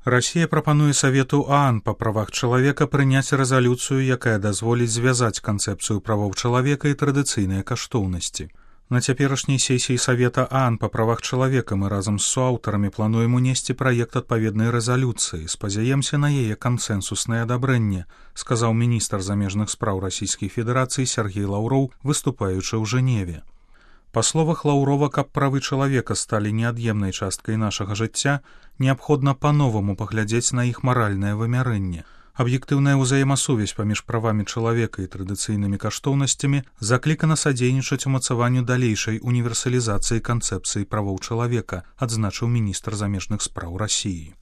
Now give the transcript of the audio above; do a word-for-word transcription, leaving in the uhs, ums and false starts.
Расія прапануе Савету ААН па правах чалавека прыняць рэзалюцыю, якая дазволіць звязаць канцэпцыю правоў чалавека і традыцыйныя каштоўнасці. На цяперашняй сесіі Савета ААН па правах чалавека мы разам з суаўтарамі плануем унесці праект адпаведнай рэзалюцыі. Спадзяемся на яе кансэнсуснае адабрэнне, сказаў міністр замежных спраў Расійскай Федэрацыі Сяргей Лаўроў, выступаючы ў Жэневе. Па словах Лаўрова, каб правы чалавека сталі неад'емнай часткай нашага жыцця, неабходна па-новаму паглядзець на іх маральнае вымярэнне. Аб'ектыўная ўзаемасувязь паміж правамі чалавека і традыцыйнымі каштоўнасцямі заклікана садзейнічаць умацаванню далейшай універсалізацыі канцэпцыі правоў чалавека, адзначыў міністр замежных спраў Расіі.